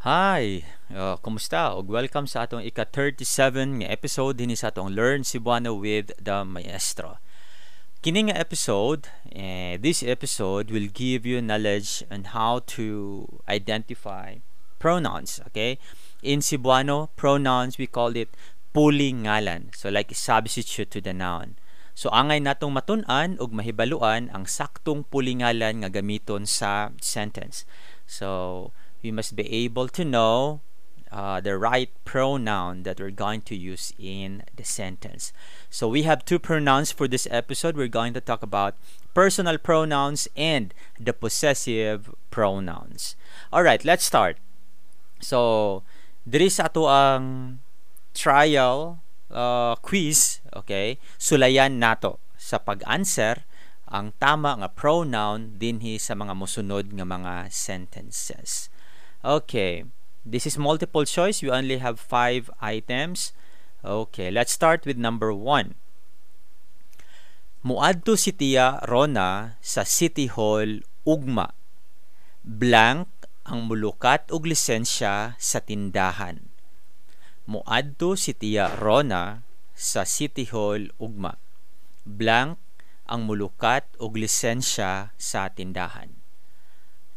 Hi, kumusta? Ug welcome sa atong ika-37 nga episode dinhi sa atong Learn Cebuano with the Maestro. Kini nga episode, this episode will give you knowledge on how to identify pronouns, okay? In Cebuano, pronouns, we call it pulingalan. So like substitute to the noun. So angay natong matun-an ug mahibaluan ang saktong pulingalan nga gamiton sa sentence. So we must be able to know the right pronoun that we're going to use in the sentence. So we have two pronouns for this episode. We're going to talk about personal pronouns and the possessive pronouns. All right, let's start. So, diri sa atoang trial quiz, okay? Sulayan nato sa pag-answer ang tama nga pronoun dinhi sa mga mosunod nga mga sentences. Okay, this is multiple choice. We only have five items. Okay, let's start with number 1. Muadto si Tia Rona sa City Hall ugma. Blank ang mulukat og lisensya sa tindahan. Muadto si Tia Rona sa City Hall ugma. Blank ang mulukat og lisensya sa tindahan.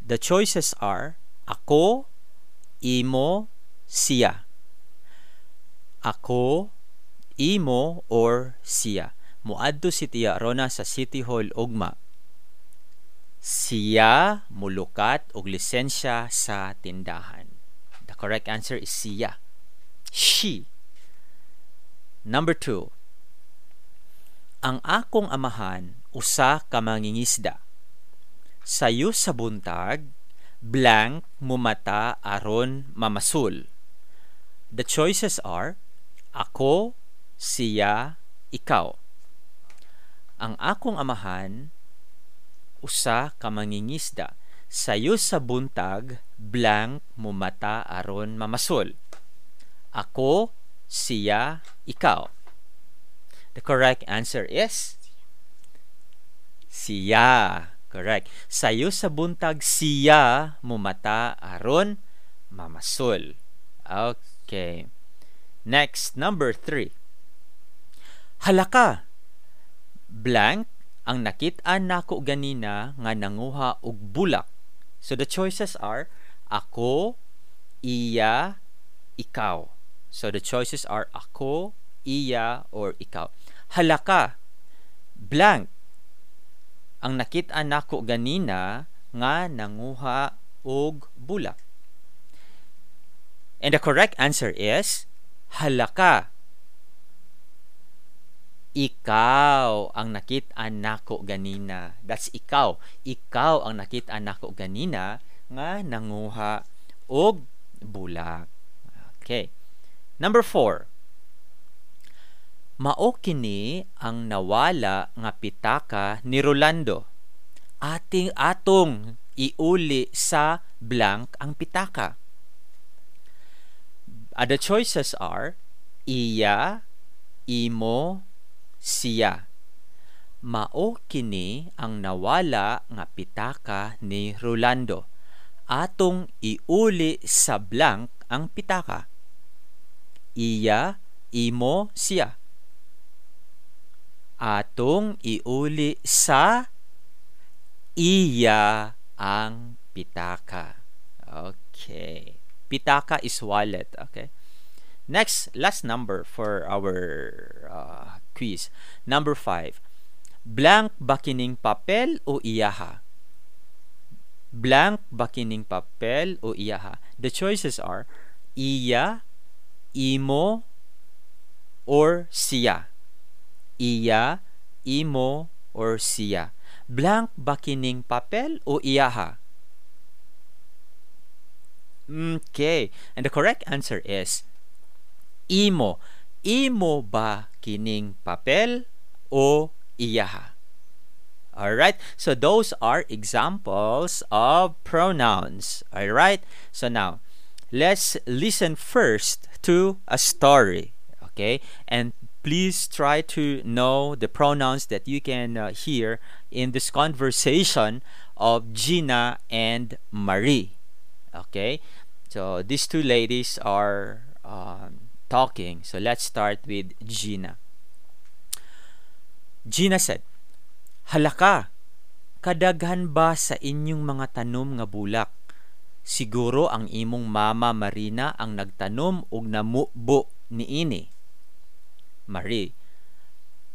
The choices are ako, imo, siya. Ako, imo, or siya. Muadto si Tia Rona sa City Hall ugma. Siya mulukat og lisensya sa tindahan. The correct answer is siya. She. Number 2. Ang akong amahan usa ka mangingisda. Sayo sa buntag, blank mumata aron mamasul. The choices are ako, siya, ikaw. Ang akong amahan usa ka mangingisda. Sayo sa buntag, blank mumata aron mamasul. Ako, siya, ikaw. The correct answer is siya. Correct. Sayo sa buntag, siya mumata aron mamasul. Okay. Next, number 3. Halaka. Blank ang nakit-an nako ganina nga nanguha og bulak. So the choices are ako, iya, ikaw. So the choices are ako, iya, or ikaw. Halaka. Blank ang nakit-an nako ganina nga nanguha og bulak. And the correct answer is halaka. Ikaw ang nakit-an nako ganina. That's ikaw. Ikaw ang nakit-an nako ganina nga nanguha og bulak. Okay. Number 4. Mao kini ang nawala nga pitaka ni Rolando. Ating atong iuli sa blank ang pitaka. The choices are iya, imo, siya. Mao kini ang nawala nga pitaka ni Rolando. Atong iuli sa blank ang pitaka. Iya, imo, siya. Atong iuli sa iya ang pitaka. Okay. Pitaka is wallet. Okay. Next, last number for our quiz. Number 5. Blank ba kining papel o iyaha? Blank ba kining papel o iyaha? The choices are iya, imo, or siya. Iya, imo, or siya. Blank ba kining papel o iyaha? Okay. And the correct answer is imo. Imo ba kining papel o iyaha? All right. So those are examples of pronouns. All right. So now, let's listen first to a story. Okay. And please try to know the pronouns that you can hear in this conversation of Gina and Marie. Okay. So these two ladies are talking. So let's start with Gina. Gina said, "Hala ka, kadaghan ba sa inyong mga tanom nga bulak? Siguro ang imong mama Marina ang nagtanom og namubo niini." Marie,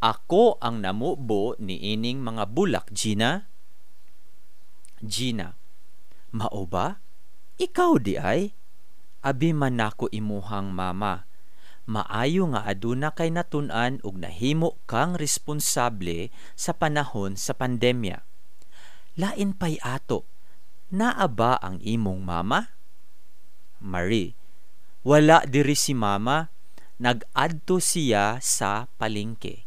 "Ako ang namubo niining mga bulak, Gina." Gina, "Mao ba? Ikaw diay? Abi man nako imuhang mama. Maayo nga aduna kay natun-an ug nahimo kang responsable sa panahon sa pandemya. Lain pay ato. Naa ba ang imong mama?" Marie, "Wala diri si mama. Nag-adto siya sa palengke."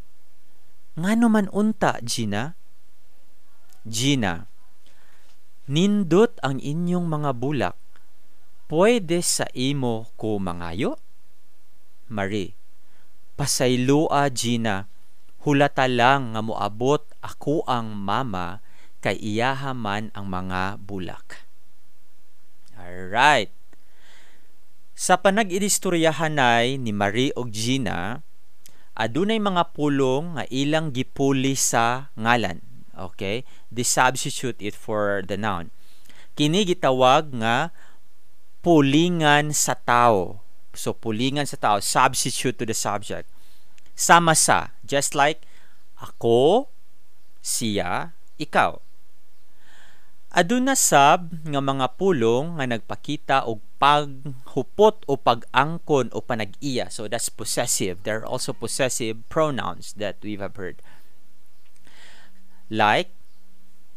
"Ngano man unta, Gina?" Gina, "Nindot ang inyong mga bulak. Pwede sa imo ko mangayo?" Marie, "Pasayloa, Gina. Hulata lang nga moabot ako ang mama kay iyaha man ang mga bulak." Alright. Sa panag-iistoryahanay ni Marie og Gina, adunay mga pulong nga ilang gipuli sa ngalan. Okay? They substitute it for the noun. Kini gitawag nga pulingan sa tao. So pulingan sa tao, substitute to the subject. Sama sa, just like ako, siya, ikaw. Aduna sab nga mga pulong nga nagpakita og paghupot o pag-angkon o panag-iya. So that's possessive. There are also possessive pronouns that we have heard. Like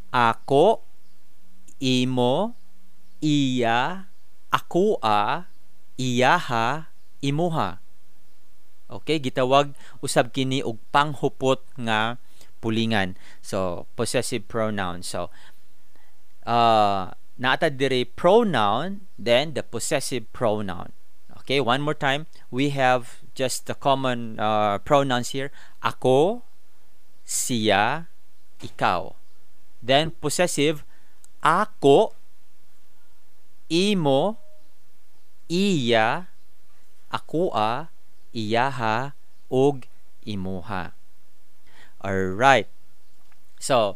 ako, imo, iya, akoa, iyaha, imuha. Okay, gitawag usab kini og panghupot nga pulingan. So possessive pronoun. So naa ta diri pronoun, then the possessive pronoun. Okay, one more time, we have just the common pronouns here. Ako, siya, ikaw. Then possessive, ako, imo, iya, akoa, iyaha, ug imuha. Alright. So,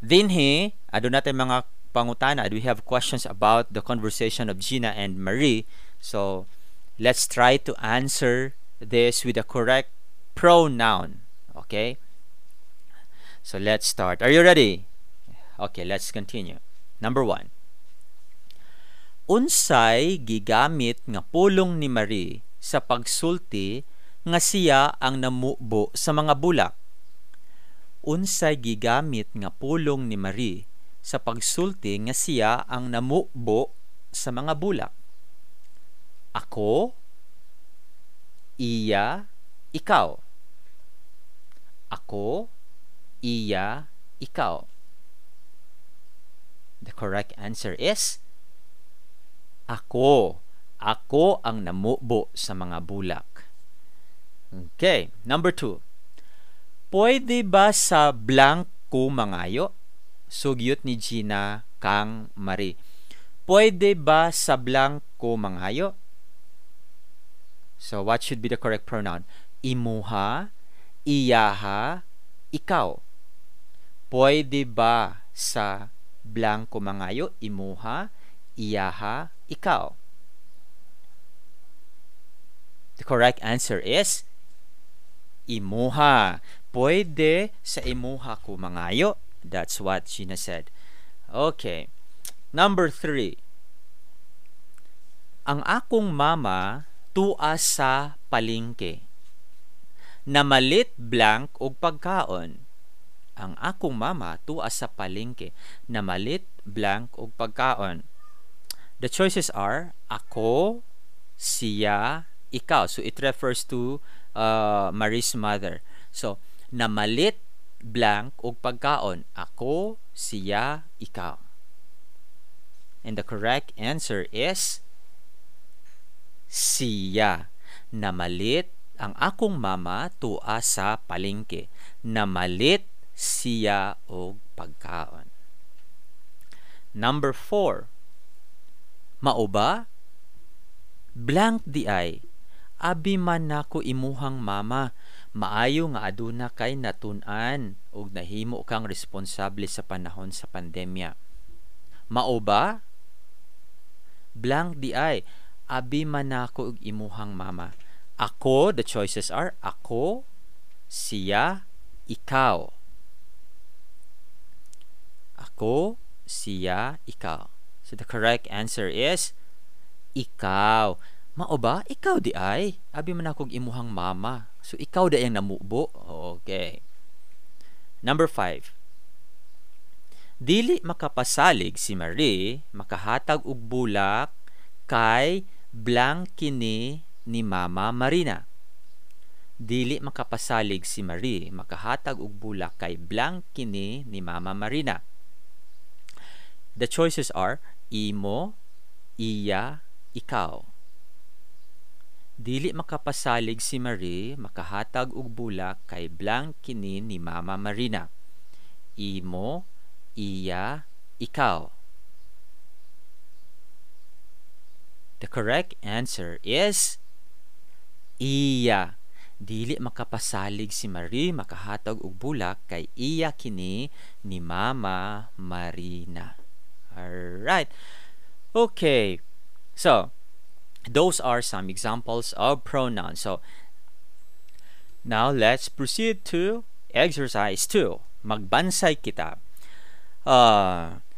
dinhi, aduna tay mga pangutana. We have questions about the conversation of Gina and Marie. So, let's try to answer this with the correct pronoun. Okay? So, let's start. Are you ready? Okay, let's continue. Number 1. Unsay gigamit nga pulong ni Marie sa pagsulti nga siya ang namubo sa mga bulak? Unsay gigamit nga pulong ni Marie sa pagsulti nga siya ang namubo sa mga bulak? Ako, iya, ikaw. Ako, iya, ikaw. The correct answer is ako. Ako ang namubo sa mga bulak. Okay, number 2. Pwede ba sa blank ko mangayo? Sugyot ni Gina kang Marie. Pwede ba sa blank ko mangayo? So what should be the correct pronoun? Imuha, iyaha, ikaw. Pwede ba sa blank ko mangayo? Imuha, iyaha, ikaw. The correct answer is imuha. Pwede sa imuha ko mangayo. That's what Gina said. Okay. Number 3. Ang akong mama tua sa palengke. Namalit blank og pagkaon. Ang akong mama tua sa palengke. Namalit blank og pagkaon. The choices are ako, siya, ikaw. So it refers to Marie's mother. So namalit blank og pagkaon. Ako, siya, ikaw. And the correct answer is siya. Namalit ang akong mama tua sa palengke. Namalit siya og pagkaon. Number 4. Mao ba? Blank diay. Abi man nako imuhang mama. Maayo nga aduna kay natun-an ug nahimo kang responsable sa panahon sa pandemya. Mao ba? Blank diay. Abi man nako og imuhang mama. Ako, the choices are ako, siya, ikaw. Ako, siya, ikaw. So the correct answer is ikaw. Mao ba? Ikaw diay. Abi man akong imuhang mama. So ikaw diay ang namubo. Okay. Number 5. Dili makapasalig si Marie makahatag og bulak kay blank kini ni Mama Marina. Dili makapasalig si Marie makahatag og bulak kay blank kini ni Mama Marina. The choices are imo, iya, ikaw. Dili makapasalig si Marie makahatag og bulak kay blank kini ni Mama Marina. Imo, iya, ikaw. The correct answer is iya. Dili makapasalig si Marie makahatag og bulak kay iya kini ni Mama Marina. All right. Okay. So, those are some examples of pronouns. So, now let's proceed to exercise 2. Magbansay kita.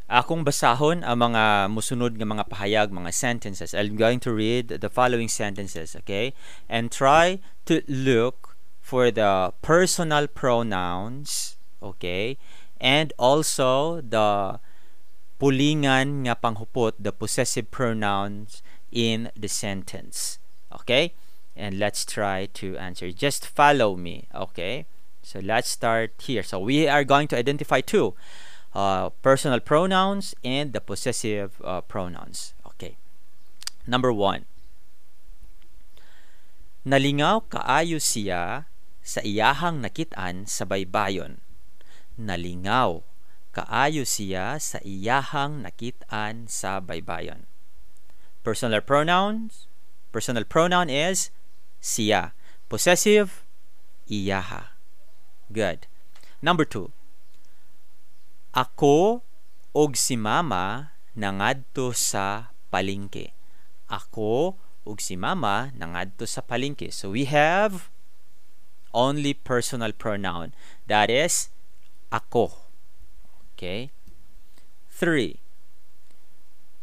Akong basahon ang mga musunod nga mga pahayag, mga sentences. I'm going to read the following sentences, okay? And try to look for the personal pronouns, okay? And also the pulingan nga panghupot, the possessive pronouns in the sentence, okay? And let's try to answer. Just follow me, okay? So let's start here. So we are going to identify two personal pronouns and the possessive pronouns. Okay. Number 1. Nalingaw kaayo siya sa iyahang nakit-an sa baybayon. Nalingaw kaayo siya sa iyahang nakit-an sa baybayon. Personal pronouns. Personal pronoun is siya. Possessive, iyaha. Good. Number 2. Ako og si mama nangadto sa palengke. Ako ug si mama nangadto sa palengke. So we have only personal pronoun. That is ako. Okay. 3.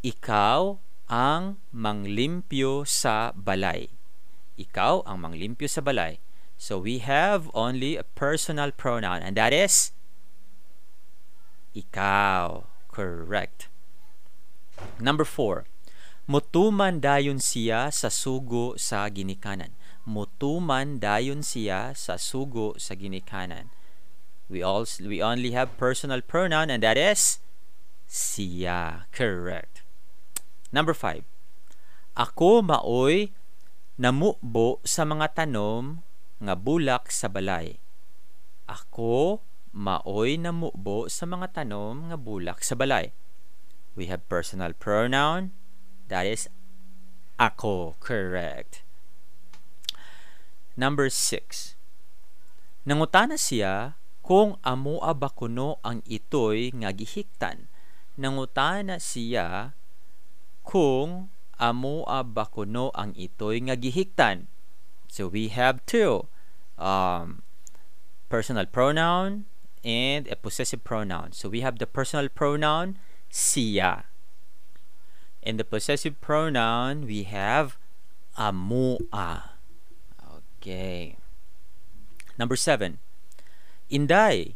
Ikaw ang manglimpyo sa balay. Ikaw ang manglimpyo sa balay. So we have only a personal pronoun, and that is ikaw. Correct. Number 4. Mutuman dayon siya sa sugo sa ginikanan. Mutuman dayon siya sa sugo sa ginikanan. We only have personal pronoun, and that is siya. Correct. Number 5. Ako maoy namubo sa mga tanom nga bulak sa balay. Ako maoy namubo sa mga tanom nga bulak sa balay. We have personal pronoun, that is ako. Correct. Number 6. Nangutana siya kung amoa ba kuno ang itoy nga gihiktan. Nangutana siya kung amoa ba kuno ang itoy nga gihiktan. So we have two personal pronoun and a possessive pronoun. So we have the personal pronoun siya. In the possessive pronoun, we have amoa. Okay. Number 7. Inday,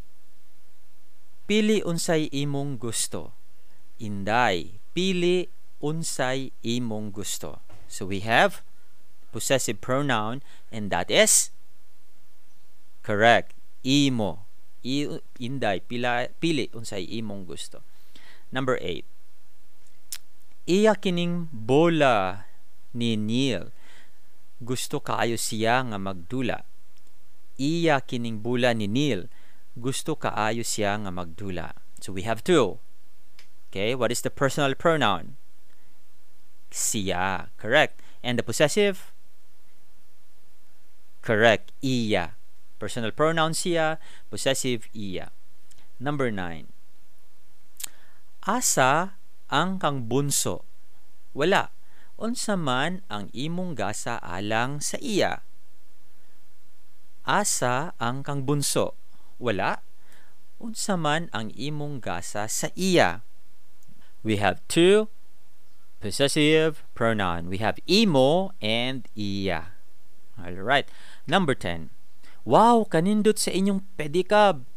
pili unsay imong gusto. Inday, pili unsay imong gusto. So we have possessive pronoun, and that is correct, imo. Inday, pili unsay imong gusto. Number 8. Iya kining bola ni Neil. Gusto kaayo siya nga magdula. Iya kining bola ni Neil. Gusto kaayo siya nga magdula. So we have two. Okay, what is the personal pronoun? Siya. Correct. And the possessive? Correct, iya. Personal pronoun siya, possessive iya. Number 9. Asa ang kang bunso? Wala. Unsa man ang imong gasa alang sa iya? Asa ang kang bunso? Wala. Unsa man ang imong gasa sa iya? We have two possessive pronoun. We have imo and iya. All right. Number 10. Wow, kanindot sa inyong pedicab.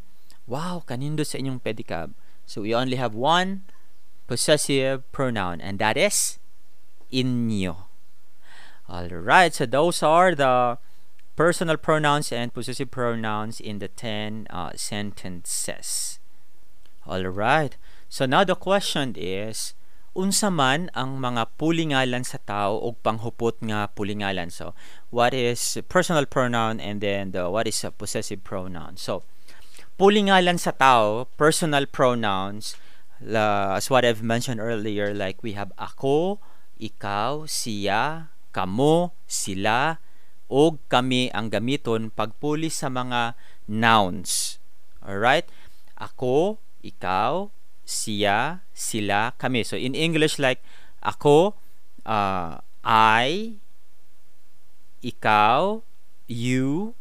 Wow, kanindot sa inyong pedicab. So we only have one possessive pronoun, and that is inyo. All right. So those are the personal pronouns and possessive pronouns in the 10 sentences. All right. So now the question is, unsa man ang mga pulingalan sa tao og panghupot nga pulingalan? So, what is personal pronoun and then what is a possessive pronoun? So, pulingalan sa tao, personal pronouns, as what I've mentioned earlier, like we have ako, ikaw, siya, kamo, sila, og kami ang gamiton pagpuli sa mga nouns. Alright? Ako, ikaw, siya, sila, kami. So in English, like ako, I, ikaw, you,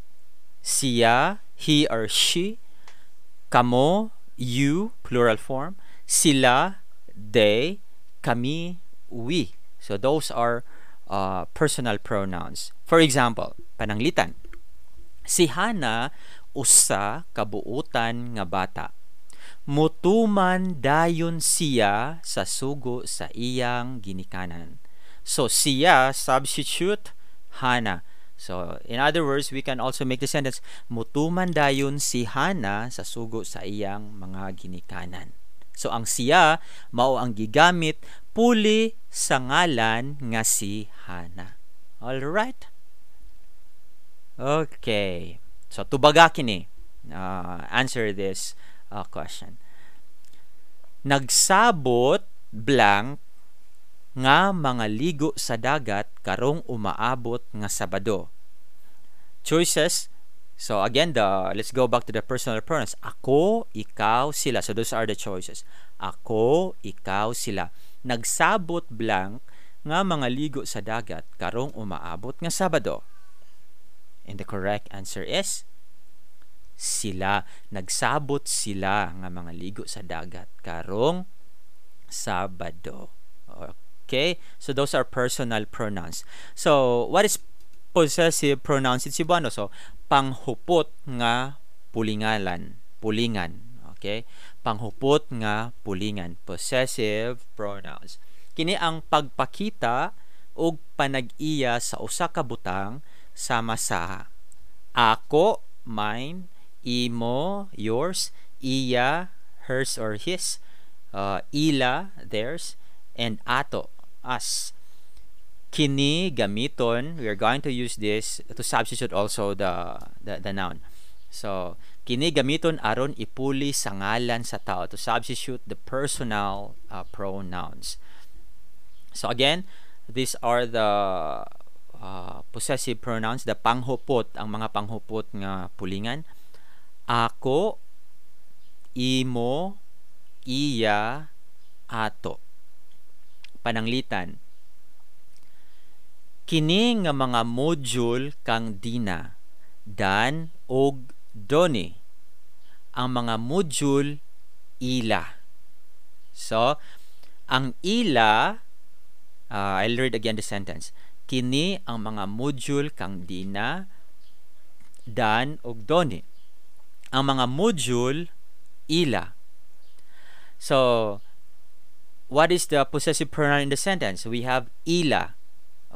siya, he or she, kamo, you, plural form, sila, they, kami, we. So those are personal pronouns. For example, pananglitan. Si Hana usa ka buutan nga bata. Mutuman dayon siya sa sugo sa iyang ginikanan. So siya substitute Hana. So in other words, we can also make the sentence, mutuman dayon si Hana sa sugo sa iyang mga ginikanan. So ang siya mao ang gigamit puli sa ngalan nga si Hana. All right? Okay. So tubaga kini. Answer this question. Nagsabot blank nga mga ligo sa dagat karong umaabot nga Sabado. Choices. So again, the let's go back to the personal pronouns. Ako, ikaw, sila. So those are the choices. Ako, ikaw, sila. Nagsabot blank nga mga ligo sa dagat karong umaabot nga Sabado. And the correct answer is sila. Nagsabot sila nga mga ligo sa dagat karong Sabado. Okay? So those are personal pronouns. So what is possessive pronouns in Cebuano? So panghupot nga pulingalan, pulingan. Okay? Panghupot nga pulingan, possessive pronouns. Kini ang pagpakita og panag-iya sa usa ka butang sama sa ako, mine, imo, yours, iya, hers or his, ila, theirs, and ato, us. Kini gamiton, we are going to use this to substitute also the noun. So, kini gamiton aron ipuli sa ngalan sa tao, to substitute the personal pronouns. So again, these are the possessive pronouns, the panghupot, ang mga panghupot nga pulingan. Ako, imo, iya, ato. Pananglitan. Kini nga mga module kang Dina, Dan ug Doni. Ang mga module ila. So, ang ila, I'll read again the sentence. Kini ang mga module kang Dina, Dan ug Doni. Ang mga module ila. So, what is the possessive pronoun in the sentence? We have ila.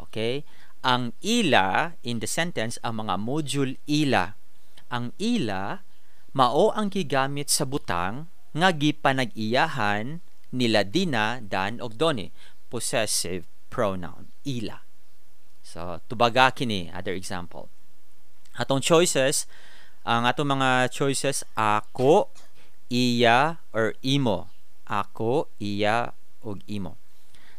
Okay? Ang ila in the sentence, ang mga module ila. Ang ila mao ang gigamit sa butang nga gipanag-iyahan nila Dina, Dan ug Doni. Possessive pronoun ila. So, tubaga kini, other example. Atong choices, ang atong mga choices, ako, iya, or imo. Ako, iya, ug imo.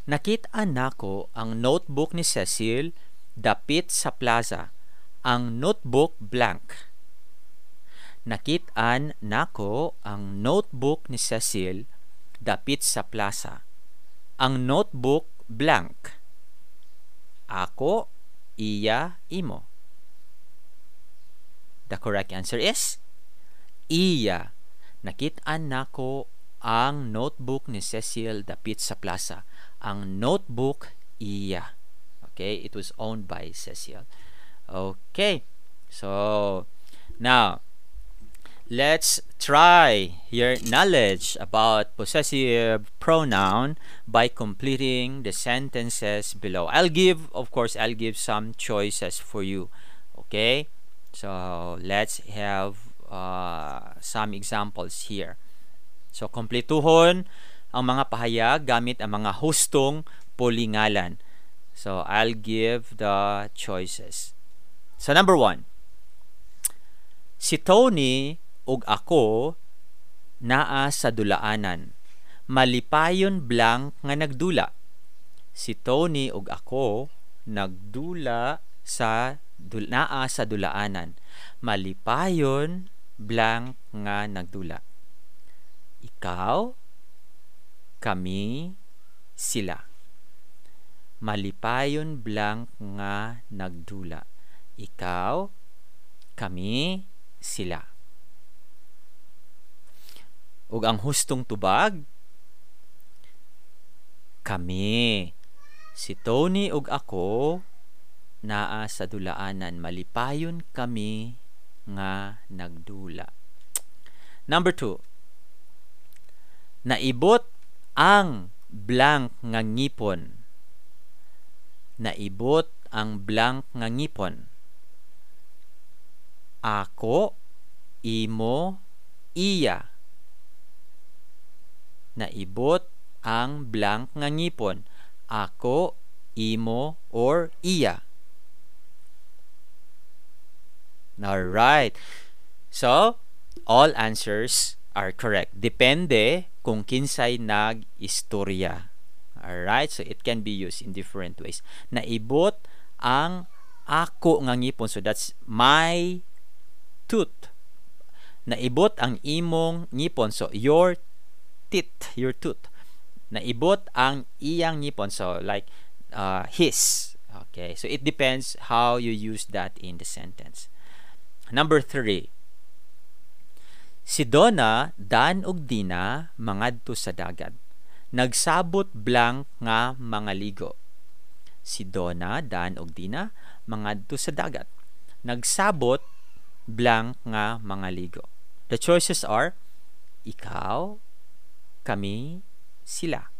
Nakit-an nako ang notebook ni Cecil dapit sa plaza. Ang notebook blank. Nakit-an nako ang notebook ni Cecil dapit sa plaza. Ang notebook blank. Ako, iya, imo. The correct answer is iya. Nakit-an nako ang notebook ni Cecil dapit sa plaza. Ang notebook iya. Okay, it was owned by Cecil. Okay, so now let's try your knowledge about possessive pronoun by completing the sentences below. Of course, I'll give some choices for you. Okay, so let's have some examples here. So, kompletuhon ang mga pahayag gamit ang mga hustong pulingalan. So, I'll give the choices. So, number 1. Si Tony ug ako naa sa dulaanan. Malipayon blank nga nagdula. Si Tony ug ako nagdula sa naa sa dulaanan. Malipayon blank nga nagdula. Ikaw, kami, sila. Malipayon blank nga nagdula. Ikaw, kami, sila. Ug ang hustong tubag, kami. Si Tony ug ako naa sa dulaanan. Malipayon kami nga nagdula. Number 2. Naibot ang blank nga ngipon. Naibot ang blank nga ngipon. Ako, imo, iya. Naibot ang blank nga ngipon. Ako, imo, or iya. Alright. So, all answers are correct. Depende kung kinsay nag-istorya. Alright? So, it can be used in different ways. Naibot ang ako nga ngipon. So, that's my tooth. Naibot ang imong ngipon. So, your teeth, your tooth. Naibot ang iyang ngipon. So, like his. Okay? So, it depends how you use that in the sentence. Number 3. Si Donna, Dan ug Dina mangadto sa dagat. Nagsabot blank nga mga ligo. Si Donna, Dan ug Dina mangadto sa dagat. Nagsabot blank nga mga ligo. The choices are ikaw, kami, sila.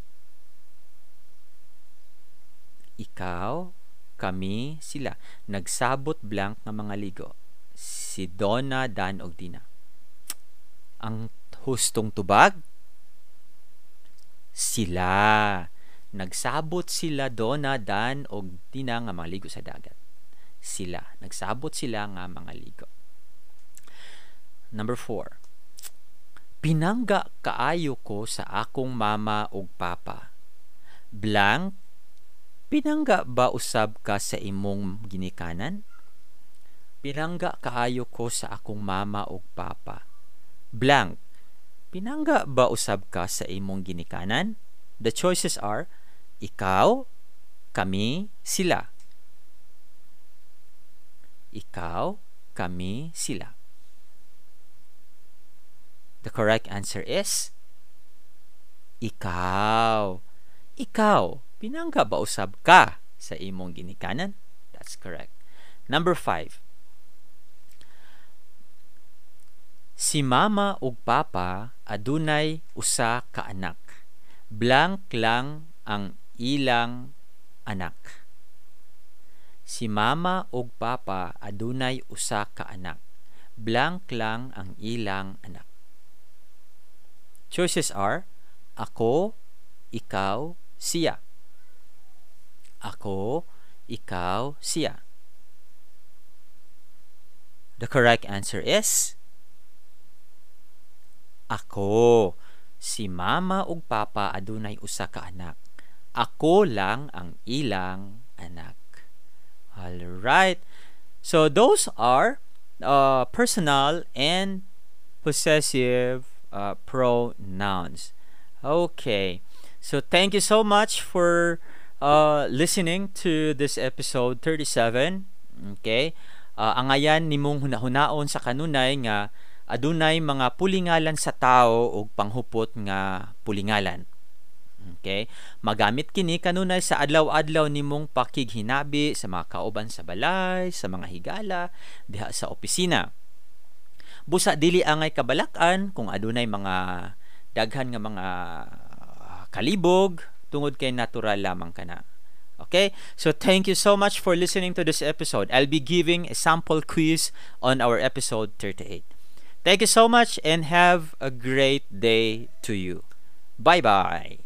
Ikaw, kami, sila. Nagsabot blank nga mga ligo. Si Donna, Dan ug Dina. Ang hustong tubag, sila. Nagsabot sila Donna, Dan ug Dina nga mga ligo sa dagat. Sila. Nagsabot sila nga mga ligo. Number 4. Pinangga kaayo ko sa akong mama ug papa. Blank, pinangga ba usab ka sa imong ginikanan? Pinangga kaayo ko sa akong mama ug papa. Blank, pinangga ba usab ka sa imong ginikanan? The choices are ikaw, kami, sila. Ikaw, kami, sila. The correct answer is ikaw. Ikaw, pinangga ba usab ka sa imong ginikanan? That's correct. Number 5. Si mama ug papa adunay usa ka anak. Blank lang ang ilang anak. Si mama ug papa adunay usa ka anak. Blank lang ang ilang anak. Choices are ako, ikaw, siya. Ako, ikaw, siya. The correct answer is ako. Si mama ug papa adunay usa ka anak. Ako lang ang ilang anak. All right. So those are personal and possessive pronouns. Okay. So thank you so much for listening to this episode 37. Okay? Angayan nimong hunahunaon sa kanunay nga adunay mga pulingalan sa tao ug panghupot nga pulingalan. Okay? Magamit kini kanunay sa adlaw-adlaw nimong pakighinabi sa mga kauban sa balay, sa mga higala, diha sa opisina. Busa dili angay kabalak-an kung adunay mga daghan nga mga kalibog tungod kay natural lamang kana. Okay? So thank you so much for listening to this episode. I'll be giving a sample quiz on our episode 38. Thank you so much and have a great day to you. Bye-bye.